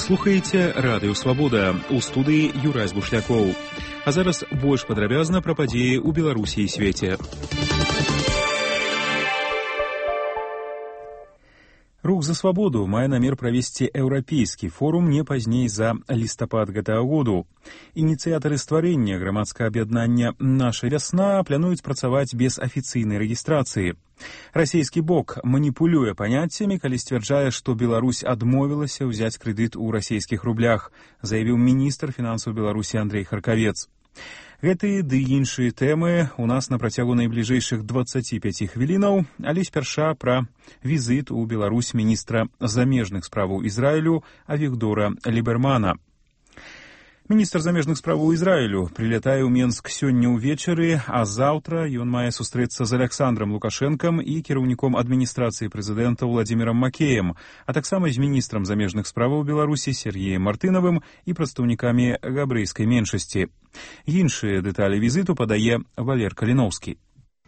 слухаеце радыё Свабода, у студыі Юрась Бушлякоў. А зараз больш падрабязна пра падзеі ў Беларусі і свеце. Рух за свабоду мае намер правесці еўрапейскі форум не пазней за лістапад гэтага году. Ініцыятары стварэння грамадскага аб'яднання «Наша вясна» плануюць працаваць без афіцыйнай рэгістрацыі. Расійскі бок маніпулюе паняццямі, калі сцвярджае, што Беларусь адмовілася ўзяць крэдыт у расійскіх рублях, заявіў міністр фінансаў Беларусі Андрэй Харкавец. Гэтыя ды іншыя тэмы у нас на працягу найбліжэйшых 25 хвілінаў, але спярша пра візіт у Беларусь міністра замежных справаў Ізраілю Авігдора Лібермана. Міністр замежных справаў Ізраілю прылятае ў Менск сёння ўвечары, а заўтра ён мае сустрэцца з Аляксандрам Лукашэнкам і кіраўніком адміністрацыі прэзідэнта Владзімірам Макеем, а таксама з міністрам замежных справаў Беларусі Сергеем Мартынавым і прадстаўнікамі габрэйскай меншасці. Іншыя дэталі візіту падае Валер Каліноўскі.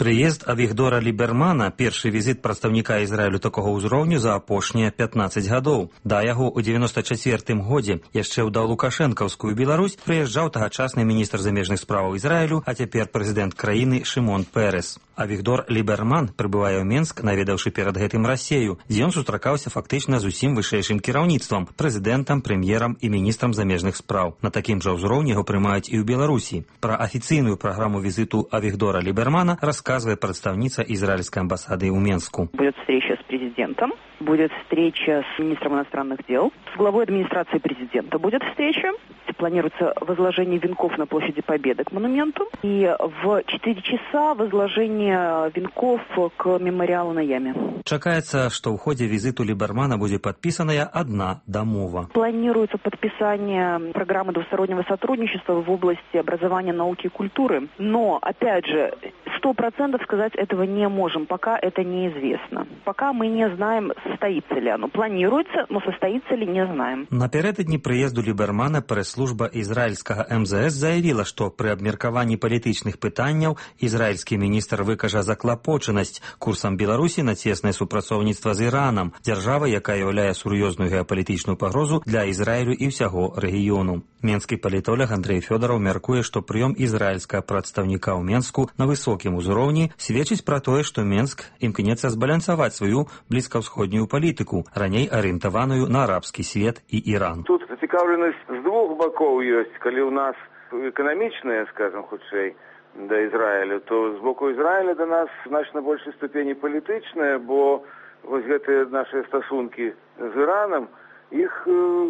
Прыезд Авігдора Лібермана – першы візіт прадстаўніка Ізраілю такога ўзроўню за апошнія 15 гадоў. Да яго ў 94-м годзе яшчэ ў далукашэнкаўскую Беларусь прыязджаў тагачасны міністр замежных справаў Ізраілю, а цяпер прэзідэнт краіны Шымон Пэрэс. Авігдор Ліберман прыбывае ў Менск, наведаўшы перад гэтым Расею, дзе ён сустракаўся фактычна з усім вышэйшым кіраўніцтвам – прэзідэнтам, прэм'ерам і міністрам замежных спраў. На такім жа ўзроўні яго прымаюць і ў Беларусі. Пра афіцыйную праграму візіту Авігдора Лібермана рассказывает представница израильской амбассады в Менску. Будет встреча с президентом, будет встреча с министром иностранных дел, с главой администрации президента будет встреча. Планируется возложение венков на площади Победы к монументу и в 4 часа возложение венков к мемориалу на яме. Чакаецца, што ў ходзе візіту Лібермана будзе падпісаная одна дамова. Планируется подписание программы двустороннего сотрудничества в области образования, науки и культуры. Но, опять же, 100% сказать этого не можем, пока это неизвестно. Пока мы не знаем, состоится ли оно. Планируется, но состоится ли, не знаем. Напярэдадні прыезду Лібермана прэс-служба ізраільскага МЗС заявіла, што пры абмеркаванні палітычных пытанняў ізраільскі міністр выкажа заклапочанасць курсам Беларусі на цеснае супрацоўніцтва з Іранам, дзяржава, якая ўяўляе сур'ёзную геапалітычную пагрозу для Ізраілю і ўсяго рэгіёну. Менскі палітолог Андрэй Фёдараў мяркуе, што прыём ізраільскага прадстаўніка ў Менску на высокім узроўні сведчыць пра тое, што Менск імкнецца збалансаваць сваю блізкаўсходнюю палітыку, раней арыентаваную на арабскі свет і Іран. Тут зацікаўленасць з двух бакоў ёсць. Калі ў нас эканамічная, скажем, хутчэй, да Ізраілю, то з боку Ізраіля да нас значна большай ступені палітычная, бо вось гэтыя нашыя стасункі з Іранам, іх,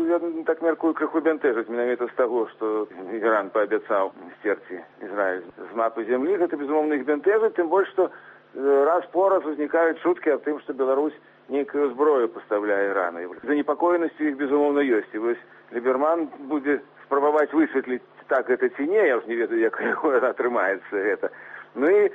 я так мяркую, крыху бянтэжаць менавіта з таго, што Іран паабяцаў сцерці Ізраіль з мапы зямлі. Гэта, безумоўна, іх бянтэжаць, тым больш, што раз по раз узнікаюць чуткі аб тым, што Беларусь нейкую зброю пастаўляе Ірану. Занепакоенасці іх, безумоўна, ёсць. І вось Ліберман будзе спрабаваць высветліць, так гэта ці не, я ж не ведаю, як атрымаецца гэта. Ну і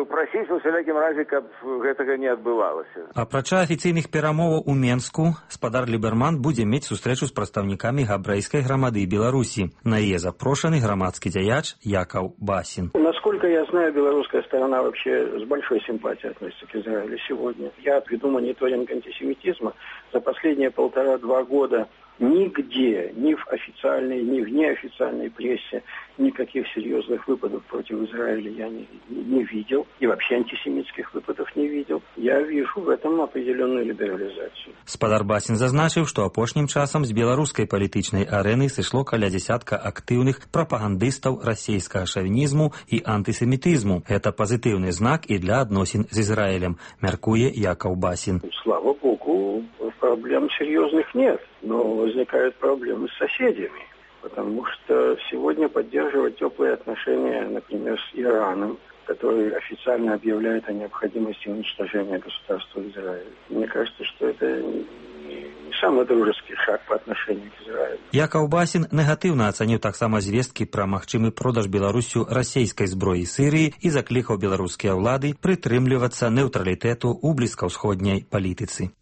прасіць у всялякім разе, каб гэтага не адбывалася. Апрача афіцыйных перамоваў у Менску, спадар Ліберман будзе мець сустрэчу з прадстаўнікамі габрэйскай грамады Беларусі. На яе запрошаны грамадскі дзяяч Якаў Басін. Насколько я знаю, белорусская сторона вообще с большой симпатией относится к Израилю сегодня. Я отведу мониторинг антисемитизма. За последние 1,5-2 года нигде, ни в официальной, ни в неофициальной прессе никаких серьезных выпадов против Израиля я не видел. И вообще антисемитских выпадов не видел. Я вижу в этом определенную либерализацию. Спадар Басін зазначыў, што апошнім часам з беларускай палітычнай арэны сышло каля дзясятка актыўных прапагандыстаў расейскага шавінізму і антысемітызму. Гэта пазітыўны знак і для адносін з Ізраілем, мяркуе Якаў Басін. Слава Богу, проблем серьезных нет, но возникают проблемы с соседями. Потому что сегодня поддерживать теплые отношения, например, с Ираном, который официально объявляет о необходимости уничтожения государства Израиль. Мне кажется, что это не самый дружеский шаг по отношению к Израилю. Якаў Басін негатыўна ацаніў таксама звесткі пра магчымы продаж Беларусю расійскай зброі Сірыі і заклікаў беларускія ўлады прытрымлівацца нейтралітэту ў блізкаўсходняй палітыцы.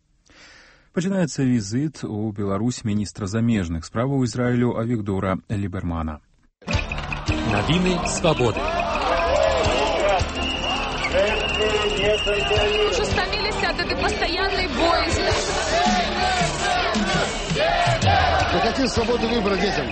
Пачынаецца візіт у Беларусь міністра замежных справаў Ізраілю Авігдора Лібермана. Навіны свабоды. Уже стомились от этой постоянной боязни. Мы хотим свободы выбора детям.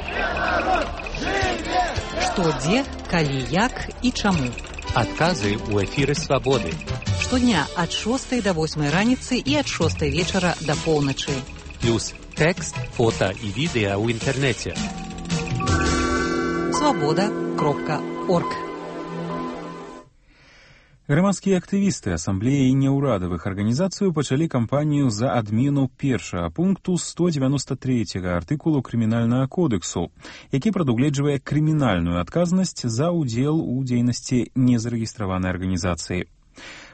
Што, дзе, калі, як і чаму. Адказы ў эфіры «Свабоды». Штодня ад 6 до 8 раніцы і ад 6 вечара до поўначы. Плюс тэкст, фота і відэа ў інтэрнэце. Свабода.орг. Грамадскія актывісты асамблеі няўрадавых арганізацый пачалі кампанію за адмену першага пункту 193 артыкулу крымінальнага кодексу, які прадугледжвае крымінальную адказнасць за ўдзел у дзейнасці незарэгістраванай арганізацыі.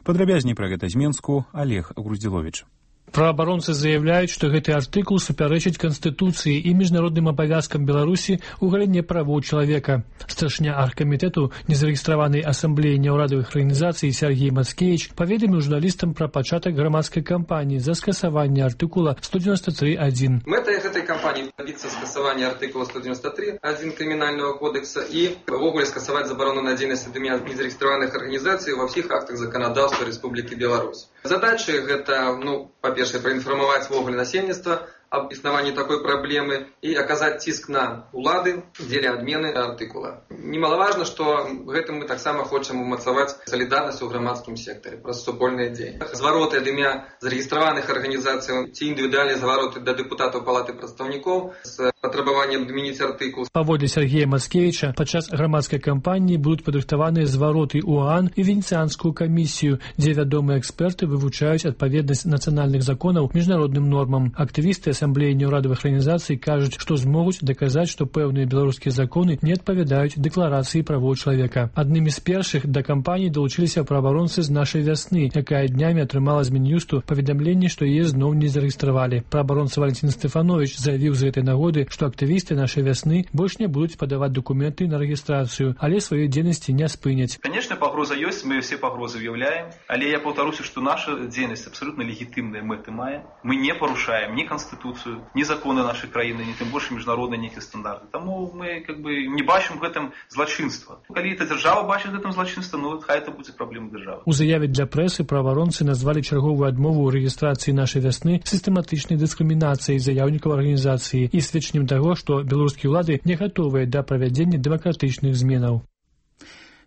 Падрабязней пра гэта з Менску Олег Груздзіловіч. Праваабаронцы заявляюць, што гэты артыкул супярэчыць Канстытуцыі і міжнародным абавязкам Беларусі ў галіне правоў чалавека. Старшыня аргкамітэту незарэгістраванай асамблеі няўрадавых арганізацый Сергей Мацкевіч паведаміў журналістам пра пачатак грамадскай кампаніі за скасаванне артыкула 193.1. Мэтай гэтай кампаніі дабіцца скасавання артыкула 193.1 крымінальнага кодекса і ўвогуле скасаваць забарону на дзейнасць незарэгістраваных арганізацый ва ўсіх актах заканадаўства Рэспублікі Беларусь. Задачы гэта, па-першае, праінфармаваць ввогуле насельніцтва об існаванні такой праблемы і аказаць ціск на улады дзеля адмены артыкула. Немалаважна, што гэтым мы таксама хочам умацаваць салідарнасць у грамадскім сектары праз супольныя дзеянні. Звароты ад імя зарэгістраваных арганізацый ці індывідуальныя звароты да дэпутатаў палаты прадстаўнікоў з патрабаваннем адмяніць артыкул. Паводле Сергея Мацкевіча, падчас грамадскай кампаніі будуць падрыхтаваныя звароты УАН і Венецыянскую камісію, дзе вядомыя эксперты вывучаюць адпаведнасць нацыянальных законаў міжнародным нормам. Актывісты асамблеі няўрадавых арганізацый кажуць, што змогуць даказаць, што пэўныя беларускія законы не адпавядаюць дэкларацыі правоў чалавека. Аднымі з першых да кампаніі далучыліся праваабаронцы з нашай вясны, якая днямі атрымала з Мін'юсту паведамленне, што яе зноў не зарэгістравалі. Праваабаронца Валентин Стэфанович заявіў з гэтай нагоды, што актывісты нашай вясны больш не будуць падаваць дакументы на рэгістрацыю, але сваёй дзейнасці не спыняць. Конечно, пагроза ёсць, мы все пагрозы выяўляем, але я паўтаруся, што наша дзейнасць абсолютно легітымныя мэты мае. Мы не парушаем ні Конституцию, ні законы нашай краіны, ні тым больш міжнародныя нейкія стандарты. Таму мы не бачым гэтым злачынства. Калі эта дзяржава бачыць гэтым злачынства, хай это будзе праблема дзяржавы. У заяве для прэсы праваабаронцы назвалі чарговую адмову ў рэгістрацыі нашай вясны сістэматычнай дыскрымінацыяй заяўнікаў арганізацыі і сведчаннем таго, што беларускія ўлады не гатовыя да правядзення дэмакратычных зменаў.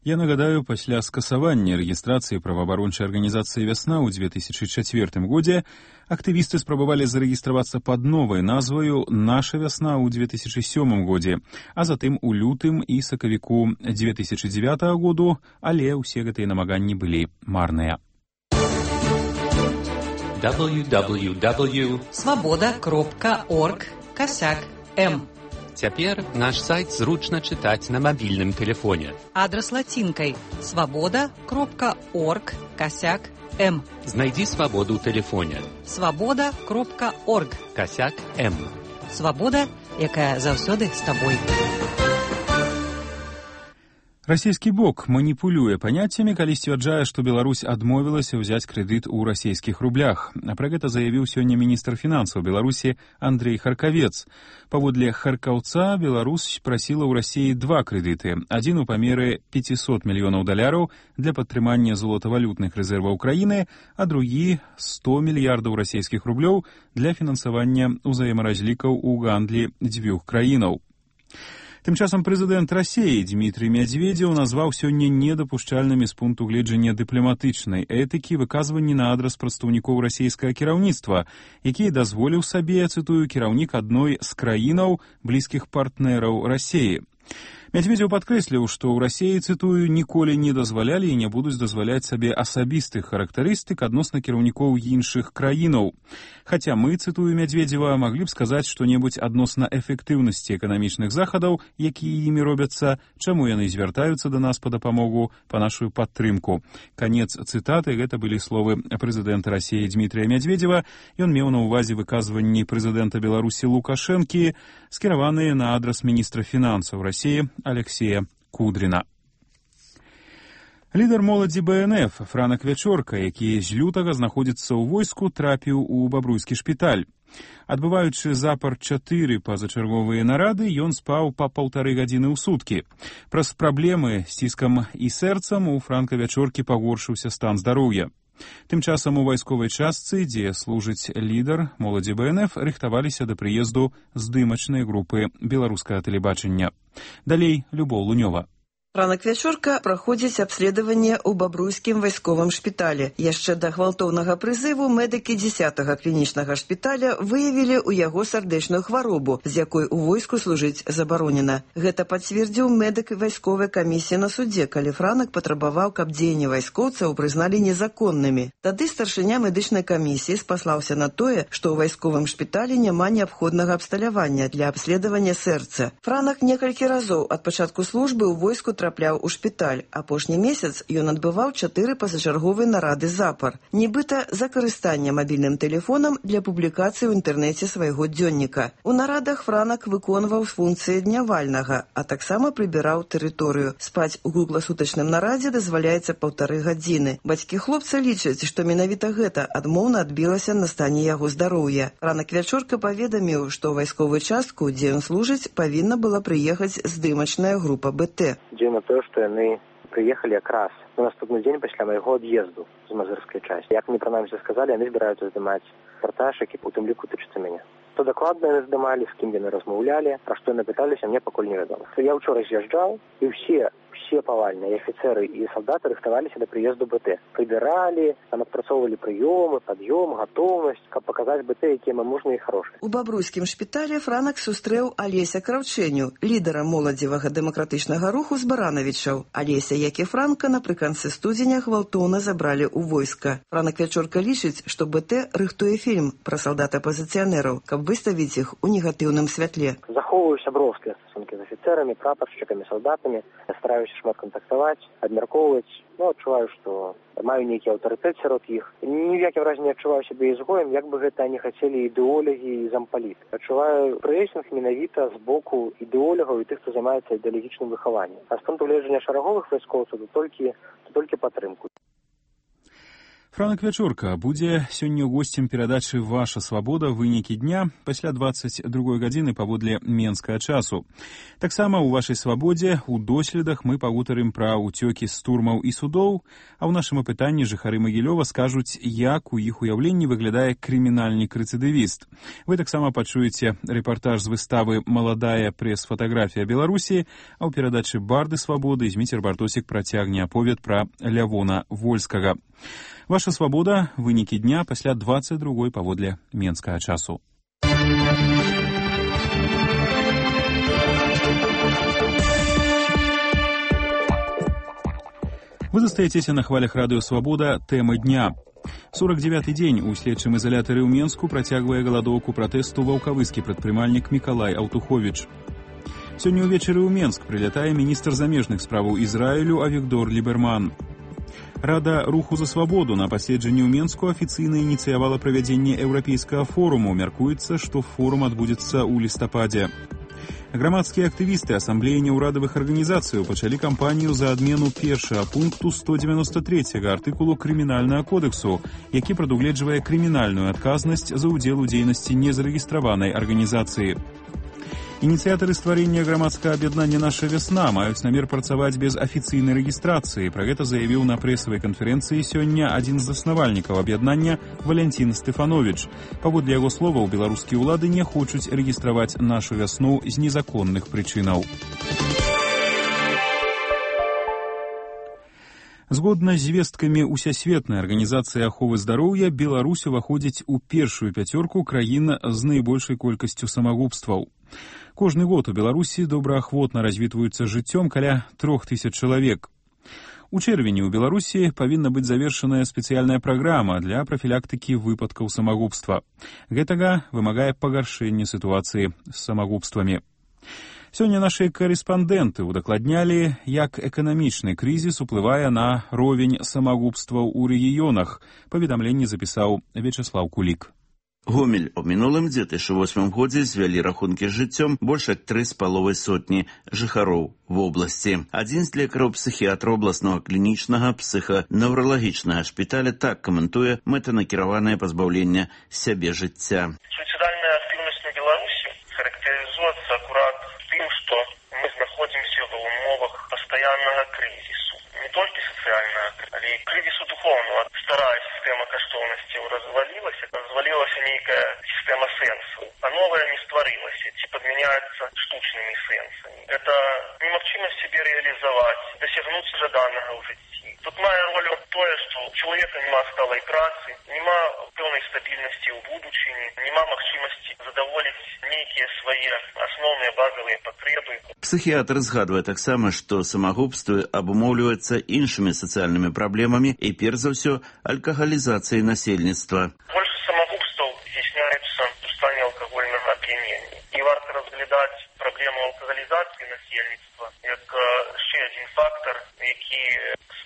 Я нагадаю, пасля скасавання рэгістрацыі праваабарончай арганізацыі «Вясна» ў 2004 годзе актывісты спрабавалі зарэгістравацца пад новай назваю «Наша вясна» ў 2007 годзе, а затым у лютым і сакавіку 2009 году, але ўсе гэтыя намаганні былі марныя. www.svoboda.org/m. Цяпер наш сайт зручна чытаць на мабільным тэлефоне. Адрас лацінкай svoboda.org/m. Знайдзі свабоду ў тэлефоне. svoboda.org/m. Свабода, якая заўсёды з табой. Расійскі бок маніпулюе паняццямі, калі сцвярджае, што Беларусь адмовілася ўзяць крэдыт у расійскіх рублях. Пра гэта заявіў сёння міністр фінансаў Беларусі Андрэй Харкавец. Паводле харкаўца, Беларусь прасіла ў Расіі два крэдыты. Адзін у памеры $500 мільёнаў для падтрымання золатавалютных рэзерваў краіны, а другі $100 мільярдаў расійскіх рублёў для фінансавання ўзаемаразлікаў у гандлі дзвюх краінаў. Тым часам прэзідэнт Расіі Дмітрый Медведзеў назваў сёння недапушчальнымі з пункту гледжання дыпламатычнай этыкі выказванні на адрас прадстаўнікоў расійскага кіраўніцтва, які дазволіў сабе, цытую, кіраўнік адной з краінаў блізкіх партнераў Расіі. Медведзеў падкрэсліў, што ў Расіі, цытую, ніколі не дазвалялі і не будуць дазваляць сабе асабістых характарыстык адносна кіраўнікоў іншых краінаў. Хаця мы, цытую Медведзева, маглі б сказаць што-небудзь адносна эфектыўнасці эканамічных захадаў, якія імі робяцца, чаму яны звяртаюцца да нас па дапамогу, па нашу падтрымку. Канец цытаты, гэта былі словы прэзідэнта Расіі Дмітрыя Медведзева. Ён меў на ўвазе выказванні прэзідэнта Беларусі Лукашэнкі, скіраваныя на адрас міністра фінансаў Расіі Алексея Кудрина. Лідар моладзі БНФ Франак Вячорка, які з лютага знаходзіцца ў войску, трапіў у бабруйскі шпіталь. Адбываючы запар 4 пазачарговыя нарады, ён спаў па 1,5 гадзіны ў суткі. Праз праблемы з ціскам і сэрцам у Франка Вячоркі пагоршыўся стан здароўя. Тым часам у вайсковай частцы, дзе служыць лідар моладзі БНФ, рыхтаваліся да прыезду здымачнай групы беларускага тэлебачання. Далей Любоў Лунёва. Ранак вячорка праходзіць абследаванне ў бабруйскім вайсковым шпіталі. Яшчэ да гвалтоўнага прызыву медыкі 10-га клінічнага шпіталя выявілі ў яго сардэчную хваробу, з якой у войску служыць забаронена. Гэта пацвердзіў медык вайсковай камісіі на судзе, калі Франак патрабаваў, каб дзеянні вайскоўцаў прызналі незаконнымі. Тады старшыня медычнай камісіі спаслаўся на тое, што ў вайсковым шпіталі няма неабходнага абсталявання для абследавання сэрца. Франак некалькі разоў ад пачатку службы ў войску трапляў у шпіталь. Апошні месяц ён адбываў 4 пазачарговыя нарады запар, нібыта за карыстанне мабільным тэлефонам для публікацыі ў інтэрнэце свайго дзённіка. У нарадах Франак выконваў функцыі днявальнага, а таксама прыбіраў тэрыторыю. Спаць у кругласутачным нарадзе дазваляецца 1,5 гадзіны. Бацькі хлопца лічаць, што менавіта гэта адмоўна адбілася на стане яго здароўя. Ранак вячорка паведаміў, што ў вайсковую частку, дзе ён служыць, павінна была прыехаць здымачная група БТ. На тое, што яны прыехалі якраз на наступны дзень пасля майго ад'езду з мазырскай часці. Як мне прынамсі сказалі, яны збіраюцца здымаць рэпартаж, які у тым ліку тычыцца мяне. Што дакладна яны здымалі, з кім яны размаўлялі, пра што яны пыталіся, мне пакуль невядома. Я ўчора з'язджаў, і ўсе павальныя афіцэры і салдаты рыхтаваліся да прыезду БТ. Прыбіралі, там адпрацоўвалі прыёмы, пад'ём, гатоўнасць, каб паказаць БТ, якія мы мужныя і хорошыя. У бабруйскім шпіталі Франак сустрэў Алеся Краўчэню, лідара моладзевага дэмакратычнага руху з Баранавічаў. Алеся, як і Франка, напрыканцы студзеня гвалтоўна забралі ў войска. Ранак вячорка лічыць, што БТ рыхтуе фільм пра салдат-апазіцыянераў, каб выставіць іх у негатыўным святле. Захоўваю сяброўскія стасункі з афіцэрамі, прапаршчыкамі, салдатамі. Я стараюся шмат кантактаваць, абмяркоўваць. Адчуваю, што маю нейкі аўтарытэт сярод іх. Ні в якім разе не адчуваю сябе ізгоем, як бы гэта не хацелі ідэолагі і зампаліты. Адчуваю прэсінг менавіта з боку ідэолагаў і тых, хто займаецца ідэалагічным выхаваннем. А з пункту гледжання шараговых вайскоўцаў то толькі падтрымку. Франак вячорка будзе сёння госцем перадачы «Ваша свабода. Вынікі дня» пасля 22 гадзіны паводле менскага часу. Таксама ў «Вашай свабодзе» у доследах мы пагутарым пра ўцёкі з турмаў і судоў, а ў нашым апытанні жыхары Магілёва скажуць, як у іх уяўленні выглядае крымінальнік-рэцыдывіст. Вы таксама пачуеце рэпартаж з выставы «Маладая прэс-фатаграфія Беларусі», а ў перадачы «Барды свабоды» Зміцер Бартосік працягне аповед пра Лявона Вольскага. Ваша свабода. Вынікі дня пасля 22 паводле менскага часу. Вы застаецеся на хвалях радыё «Свабода». Тэма дня. 49-й дзень у следчым изолятары ў Менску працягвае галадоўку пратэсту ваўкавыскі прадпрымальнік Мікалай Аўтуховіч. Сёння ўвечары ў Менск прылятае міністр замежных справаў Ізраілю Авігдор Ліберман. Рада руху за свабоду на паседжанні ў Менску афіцыйна ініцыявала правядзенне еўрапейскага форуму. Мяркуецца, што форум адбудзецца ў лістападзе. Грамадскія актывісты асамблеі няўрадавых арганізацыяў пачалі кампанію за адмену першага пункту 193 артыкулу крымінальнага кодэксу, які прадугледжвае крымінальную адказнасць за ўдзел у дзейнасці незарэгістраванай арганізацыі. Ініцыятары стварэння грамадскага аб'яднання «Наша вясна» маюць намер працаваць без афіцыйнай рэгістрацыі. Пра гэта заявіў на прэсавай канферэнцыі сёння адзін з заснавальнікаў аб'яднання Валянцін Стэфановіч. Паводле яго словаў, беларускія ўлады не хочуць рэгістраваць «Нашу вясну» з незаконных прычынаў. Згодна з звесткамі Усесветнай арганізацыі аховы здароўя, Беларусь уваходзіць у першую пяцёрку краін з найбольшай колькасцю самагубстваў. Кожны год у Беларусі добраахвотна развітваюцца жыццём каля 3000 чалавек. У чэрвені ў Беларусі павінна быць завершаная спецыяльная праграма для прафілактыкі выпадкаў самагубства. Гэтага вымагае пагаршэнне сітуацыі з самагубствамі. Сёння нашы карэспандэнты удакладнялі, як эканамічны крызіс уплывае на ровень самагубстваў у рэгіёнах. Паведамленне запісаў Вячеслаў Кулік. Гомель у мінулым 2008 годзе звялі рахункі з жыццём больш як 3,5 сотні жыхароў в обласці. Адзін з лекараў псіхіатра обласнага клінічнага псіханаўралагічнага шпіталя так каментуе мэтанакіраванае пазбаўленне сябе жыцця. Суіцыдальная актыўнасць на Беларусі характарызуецца акурат тым, што мы знаходзімся ва ўмовах пастаяннага крызісу. Не толькі социально, але кризису духовного. Старая система каштоўнасцяў развалілася нейкая система сэнсу, а новая не стварылася, ці падмяняецца штучнымі сэнсамі. Это немагчымасць сябе рэалізаваць, дасягнуць жаданага ў жыцці. Тут мае ролю тое, што у чалавека няма сталай працы, няма пэўнай стабільнасці ў будучыні, няма магчымасці задаволіць нейкія свае асноўныя базавыя патрэбы. Псіхіатр згадвае таксама, што самагубствы абумоўліваюцца іншымі сацыяльнымі праблемамі і, перш за ўсё, алкагалізацыяй насельніцтва. Больш самагубстваў здзяйсняецца ў стане алкагольнага ап'янення. І варта разглядаць праблему алкагалізацыі насельніцтва як яшчэ адзін фактор, які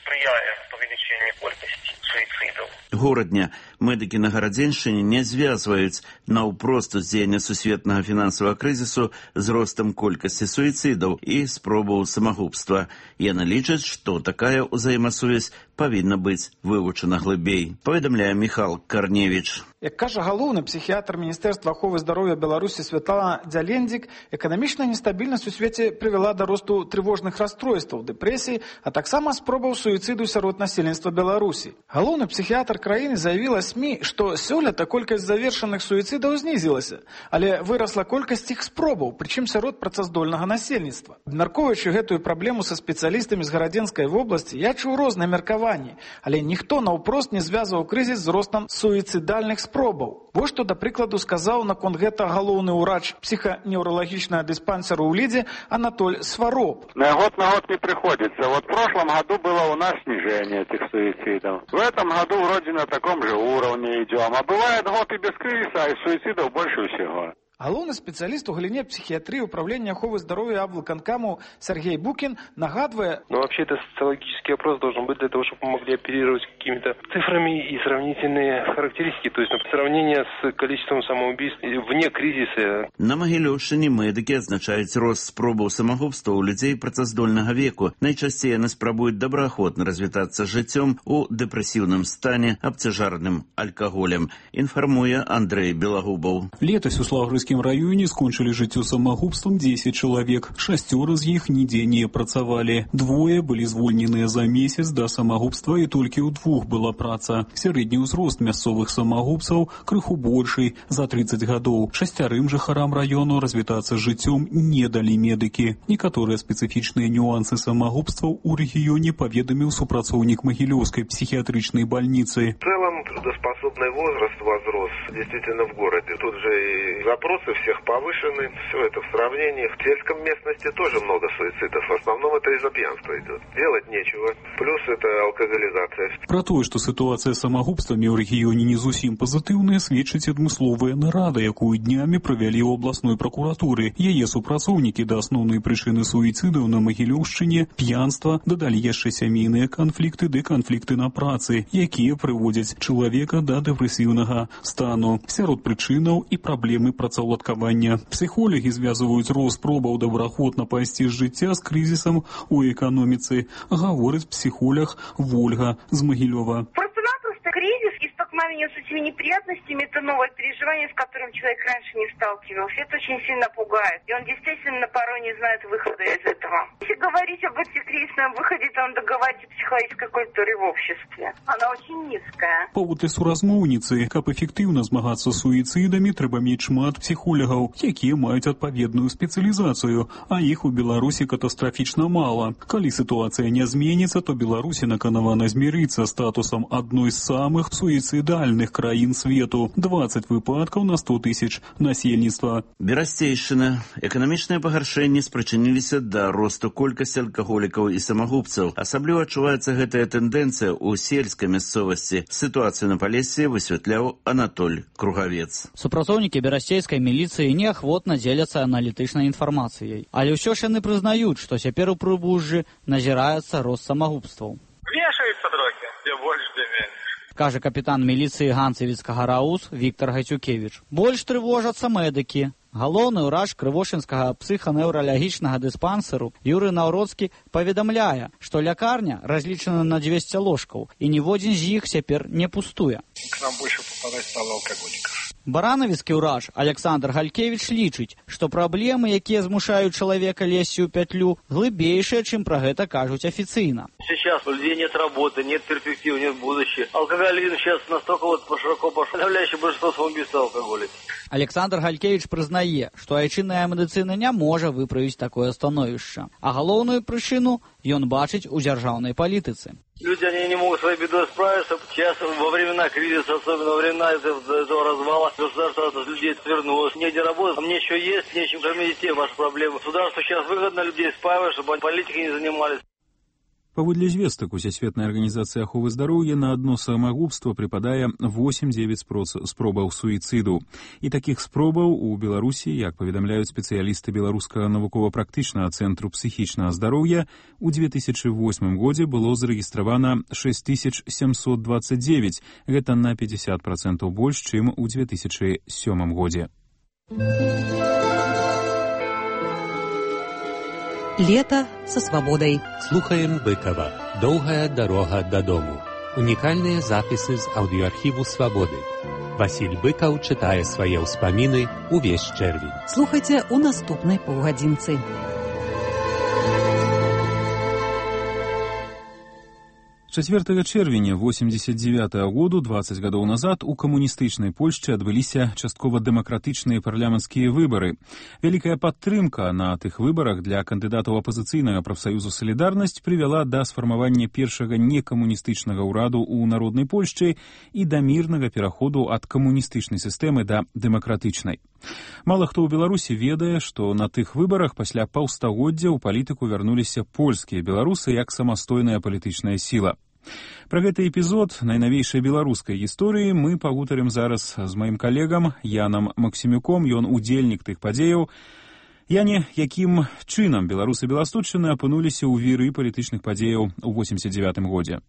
спрыяе павелічэнню колькасці суіцыдаў. Горадня медыкі на Гарадзеншчыне не звязваюць наўпрост уздзеяння сусветнага фінансавага крызісу з ростам колькасці суіцыдаў і спробаў самагубства. Яны лічаць, што такая ўзаемасувязь павінна быць вывучана глыбей. Паведамляе Міхал Карневіч. Як кажа галоўны псіхіятр Міністэрства аховы здароўя Беларусі Святлана Дзялендзік, эканамічная нестабільнасць у свеце прывяла да росту трывожных расстройстваў, дэпрэсій, а таксама спробаў суіцыду сярод насельніцтва Беларусі. Галоўны псіхіятр краіны заявіла СМІ, што сёлета колькасць завершаных суіцыдаў знізілася, але вырасла колькасць іх спробаў, прычым сярод працаздольнага насельніцтва. Абмяркоўваючы гэтую праблему са спецыялістамі з Гарадзенскай вобласці, я чуў розныя меркаванні, але ніхто наўпрост не звязваў крызіс з ростам суіцыдальных спробаў. Вось што, да прыкладу, сказаў наконт гэта галоўны ўрач псіханеўралагічнага дыспансеру ў Лідзе Анатоль Свароб. На год не приходится. Вот в прошлом году было у нас снижение этих суицидов. В этом году вроде на таком же уровне идем. А бывает год и без кризиса, и суицидов больше всего. Галоўны спецыяліст у галіне псіхіятрыі управлення аховы здароўя аблвыканкаму Сергей Букин нагадывая... Вообще это социологический опрос должен быть для того, чтобы мы могли оперировать какими-то цифрами и сравнительные характеристики, то есть сравнение с количеством самоубийств вне кризиса. На Магілёўшчыне медыкі адзначаюць рост спробаў самагубства ў людзей працаздольнага веку. Найчасцей яны спрабуюць добраахвотна развітацца жыццём у дэпрэсіўным стане, абцяжарным алкаголем, інфармуе Андрэй Белагубаў. Летась у Славгородскім районе скончили жыццё самагубствам 10 чалавек. 6 з іх нідзе не працавалі. 2 былі звольненыя за месяц да самагубства і толькі ў 2 была праца. Сярэдні ўзрост мясцовых самагубцаў крыху больший, за 30 гадоў. 6 жыхарам району развітацца жыццём не далі медыкі. Некаторыя спецыфічныя нюансы самагубстваў у рэгіёне паведаміў супрацоўнік Магілёўскай психиатричной больницы. В целом трудоспособный возраст возрос действительно в городе. Тут же и запросы всех повышены, все это в сравнении. В сельском местности тоже много суицидов. В основном это из-за пьянства идет. Делать нечего. Плюс это алкоголизация. Про тое, што сітуацыя з самагубствамі ў рэгіёне не зусім пазітыўная, сведчыць адмысловая нарада, якую днямі правялі ў абласной пракуратуры. Яе супрацоўнікі да асноўнай прычыны суіцыдаў на Магілёўшчыне п'янства дадалі яшчэ сямейныя канфлікты ды канфлікты на працы, якія прыводзяць чалавека да дэпрэсіўнага стану. Сярод прычынаў і праблемы працаўладкавання. Псіхолагі звязваюць рост спробаў добраахвотна пайсці з жыцця з крызісам у эканоміцы, гаворыць псіхолог Вольга з Магілёва. Просто-напросто кризис и столкновение с этими неприятностями – это новое переживание, с которым человек раньше не сталкивался. Это очень сильно пугает. И он действительно порой не знает выхода из этого. Если говорить об антикризисном выходе, то надо говорить о психологической культуре в обществе. Она очень низкая. Паводле суразмоўніцы, каб эфектыўна змагацца з суіцыдамі, трэба мець шмат псіхолагаў, якія маюць адпаведную спецыялізацыю, а іх у Беларусі катастрафічна мала. Калі сітуацыя не зменіцца, то Беларусі наканавана змірыцца статусам адной з самых суіцыдальных краін свету. 20 выпадкаў на 100 тысяч насельніцтва. Берасцейшчына. Эканамічныя пагаршэнні спрычыніліся да росту колькасці алкаголікаў і самагубцаў. Асабліва адчуваецца гэтая тэндэнцыя ў сельскай мясцовасці. Сітуацыю на Палесе высвятляў Анатоль Кругавец. Супрацоўнікі берасцейскай міліцыі неахвотна дзеляцца аналітычнай інфармацыяй. Але ўсё ж яны прызнаюць, што цяпер у Прыбужжы назіраецца рост самагубстваў. Вешаются дроги, где больше, где меньше. Кажа капітан міліцыі Ганцевіцкага РАУС Віктор Гайцюкевіч. Больш трывожацца медыкі. Галоўны ўрач крывошынскага псіханеўралагічнага дыспансеру Юрый Наўроцкі паведамляе, што лякарня разлічана на 200 ложкаў, і ніводзін з іх цяпер не пустуе. К нам больше попадать стало алкоголиков. Баранавіцкі ўраж Александр Галькевіч лічыць, што праблемы, якія змушаюць чалавека лезці ў пятлю, глыбейшыя, чым пра гэта кажуць афіцыйна. Сейчас у людей нет работы, нет перспектив, нет будущего. Алкоголизм сейчас настолько широко пошел, подавляющее большинство самоубийств алкоголя. Александр Галькевіч прызнае, што айчынная медыцына не можа выправіць такое становішча, а галоўную прычыну ён бачыць у дзяржаўнай палітыцы. Люди, они не могут с своей бедой справиться. Сейчас во времена кризиса, особенно во времена этого развала, государство от людей отвернулось. Негде работать, а мне еще есть, нечем кормить детей, ваши проблемы. Государству сейчас выгодно людей спаивать, чтобы они политикой не занимались. Паводле звестак Усесветнай арганізацыі аховы здароўя на адно самагубства прыпадае 8-9 спробаў суіцыду. І такіх спробаў у Беларусі, як паведамляюць спецыялісты Беларускага навукова-практычнага цэнтру псіхічнага здароўя, у 2008 годзе было зарэгістравана 6729. Гэта на 50% больш, чым у 2007 годзе. Лето со свободой. Слухаем Быкова. Долгая дорога до дому. Уникальные записи з аудиоархиву «Свободы». Василь Быков читает свои ўспаміны увесь чэрвень. Слухайте у наступной паўгадзінцы. 4 чэрвеня 89 году, 20 гадоў назад, у камуністычнай Польшчы адбыліся часткова дэмакратычныя парламенцкія выбары. Вялікая падтрымка на тых выбарах для кандыдатаў апазіцыйнага прафсаюзу «Салідарнасць» прывяла да сфармавання першага некамуністычнага ўраду ў народнай Польшчы і да мірнага пераходу ад камуністычнай сістэмы да дэмакратычнай. Мала хто ў Беларусі ведае, што на тых выбарах пасля паўстагоддзя ў палітыку вярнуліся польскія беларусы як самастойная палітычная сіла. Пра гэты эпізод найнавейшай беларускай гісторыі мы пагутарым зараз з маім калегам Янам Максімюком, ён удзельнік тых падзеяў. Яне, якім чынам беларусы Беласточчыны апынуліся ў віры палітычных падзеяў у 89 годзе?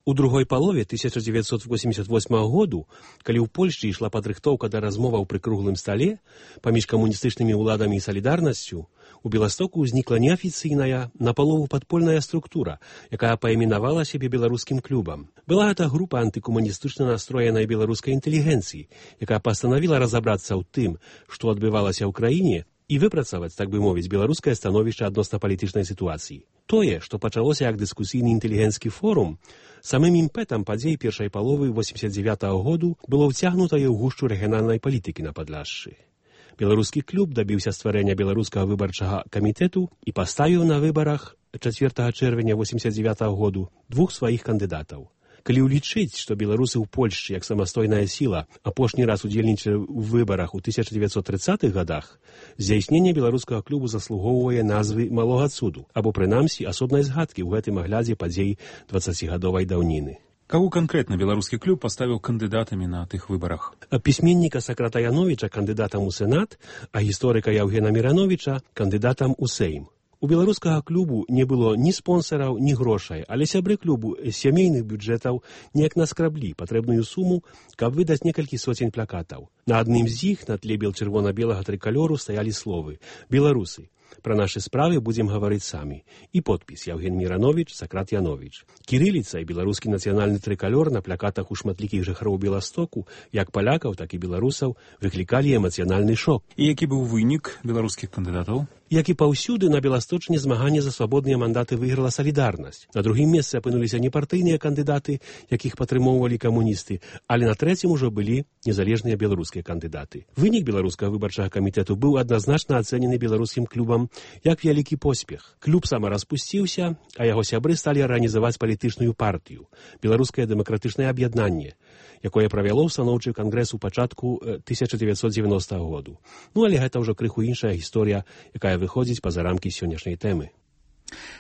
У другой палове 1988 году, калі ў Польшчы ішла падрыхтоўка да размоваў пры круглым стале паміж камуністычнымі ўладамі і салідарнасцю, у Беластоку ўзнікла неафіцыйная, напалову падпольная структура, якая паіменавала сябе беларускім клубам. Была гэта група антыкамуністычна настроенай беларускай інтэлігенцыі, якая пастанавіла разабрацца ў тым, што адбывалася ў краіне, і выпрацаваць, так бы мовіць, беларускае становішча адносна палітычнай сітуацыі. Тое, што пачалося як дыскусійны інтэлігенцкі форум, самым імпэтам падзей першай паловы 89 году было ўцягнутае ў гушчу рэгіянальнай палітыкі на Падляшшы. Беларускі клуб дабіўся стварэння беларускага выбарчага камітэту і паставіў на выбарах 4 чэрвеня 89 году двух сваіх кандыдатаў. Калі ўлічыць, што беларусы ў Польшчы як самастойная сіла апошні раз удзельнічалі ў выбарах у 1930-х годах, здзяйсненне беларускага клубу заслугоўвае назвы малога цуду, або прынамсі асобнай згадкі ў гэтым аглядзе падзей 20-гадовай даўніны. Каго канкрэтна беларускі клуб паставіў кандыдатамі на тых выбарах? Пісьменніка Сакрата Яновіча кандыдатам у Сенат, а гісторыка Яўгена Мірановіча кандыдатам у Сейм. У беларускага клубу не было ні спонсараў, ні грошай, але сябры клубу з сямейных бюджэтаў неяк наскраблі патрэбную суму, каб выдаць некалькі соцень плакатаў. На адным з іх на тле бел-чырвона-белага трыкалёру стаялі словы «Беларусы». Пра нашы справы будзем гаварыць самі. І подпіс Яўген Мірановіч, Сакрат Яновіч. Кірыліца і беларускі нацыянальны трыкалёр на плакатах у шматлікіх жыхароў Беластоку, як палякаў, так і беларусаў, выклікалі эмацыянальны шок. І які быў вынік беларускіх кандыдатаў? Як і паўсюды, на Беласточыне змаганне за свабодныя мандаты выйграла «Салідарнасць». На другім месцы апынуліся не партыйныя кандыдаты, якіх падтрымоўвалі камуністы, але на трэцім ужо былі незалежныя беларускія кандыдаты. Вынік беларускага выбарчага камітэту быў адназначна ацэнены беларускім клубам як вялікі поспех. Клуб самараспусціўся, а яго сябры сталі арганізаваць палітычную партыю «Беларускае дэмакратычнае аб'яднанне», якое правяло ўстаноўчы кангрэс у пачатку 1990 году. Ну, але гэта ўжо крыху іншая гісторыя, якая выходзіць па-за рамкі сённяшняй тэмы.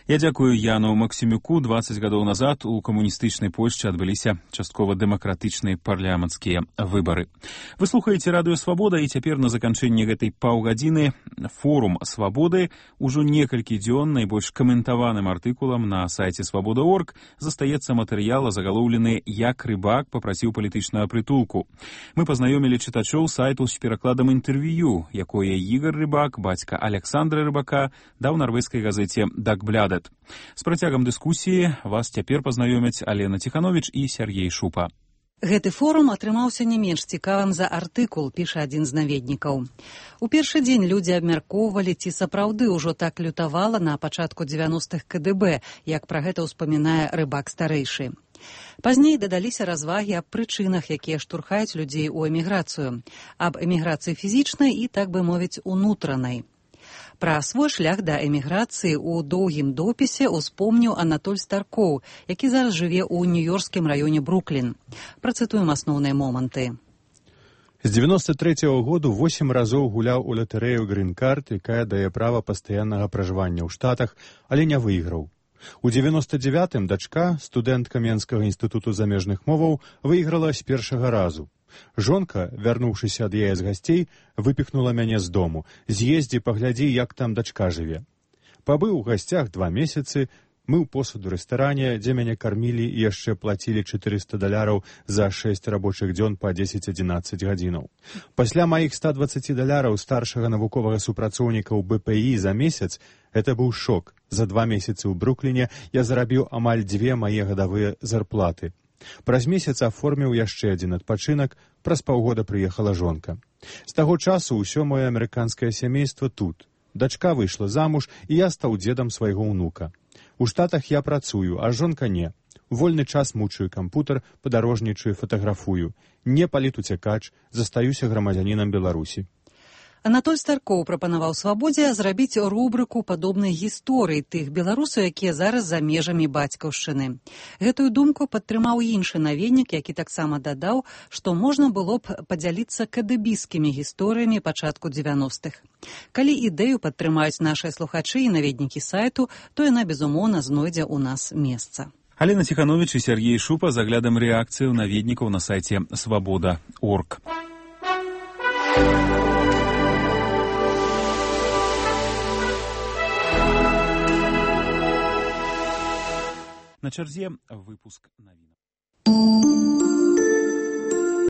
Я дзякую Яну Максімюку. 20 гадоў назад у камуністычнай Польшчы адбыліся часткова дэмакратычныя парламенцкія выбары. Вы слухаеце радыё «Свабода», і цяпер на заканчэнне гэтай паўгадзіны форум «Свабоды» ужо некалькі дзён найбольш каментаваным артыкулам на сайце «Свабода.орг» застаецца матэрыял, загалоўлены «Як рыбак папрасіў палітычнага прытулку». Мы пазнаёмілі чытачоў сайту з перакладам інтэрв'ю, якое Ігар Рыбак, бацька Александра Рыбака, даў нарвежскай газеце «Дагблядет». З працягам дыскусіі вас цяпер пазнаёмяць Алена Ціхановіч і Сяргей Шупа. Гэты форум атрымаўся не менш цікавым за артыкул, піша адзін з наведнікаў. У першы дзень людзі абмяркоўвалі, ці сапраўды ўжо так лютавала на пачатку 90-х КДБ, як пра гэта ўспамінае рыбак старэйшы. Пазней дадаліся развагі аб прычынах, якія штурхаюць людзей у эміграцыю, аб эміграцыі фізічнай і, так бы мовіць, унутранай. Пра свой шлях да эміграцыі ў доўгім допісе успомніў Анатоль Старкоў, які зараз жыве ў нью-йоркскім раёне Бруклін. Працытуем асноўныя моманты. З 93-го году 8 разоў гуляў у латарэю «Грін-карт», якая дае права пастаяннага пражывання ў Штатах, але не выйграў. У 99-м дачка, студэнтка Менскага інстытуту замежных моваў, выйграла з першага разу. Жонка, вярнуўшыся ад яе з гасцей, выпіхнула мяне з дому. З'ездзі, паглядзі, як там дачка жыве. Пабыў у гасцях 2 месяцы, мыў посуд у рэстаране, дзе мяне кармілі і яшчэ плацілі $400 за 6 рабочых дзён па 10-11 гадзінаў. Пасля маіх $120 старшага навуковага супрацоўніка ў БПІ за месяц, гэта быў шок. За 2 месяцы ў Брукліне я зарабіў амаль 2 мае гадавыя зарплаты. Праз месяц аформіў яшчэ адзін адпачынак, праз паўгода прыехала жонка. З таго часу ўсё маё амерыканскае сямейства тут. Дачка выйшла замуж, і я стаў дзедам свайго ўнука. У Штатах я працую, а жонка не. Вольны час мучаю кампутар, падарожнічаю, фатаграфую. Не палітуцякач, застаюся грамадзянінам Беларусі. Анатоль Старкоў прапанаваў «Свабодзе» зрабіць рубрыку падобнай гісторыі тых беларусаў, якія зараз за межамі бацькаўшчыны. Гэтую думку падтрымаў іншы наведнік, які таксама дадаў, што можна было б падзяліцца кадыбіскімі гісторыямі пачатку 90-х. Калі ідэю падтрымаюць нашыя слухачы і наведнікі сайту, то яна, безумоўна, знойдзе ў нас месца. Алена Ціхановіч і Сергей Шупа з аглядам рэакцыю наведнікаў на сайце «Свабода.орг». На чарзе выпуск навінаў.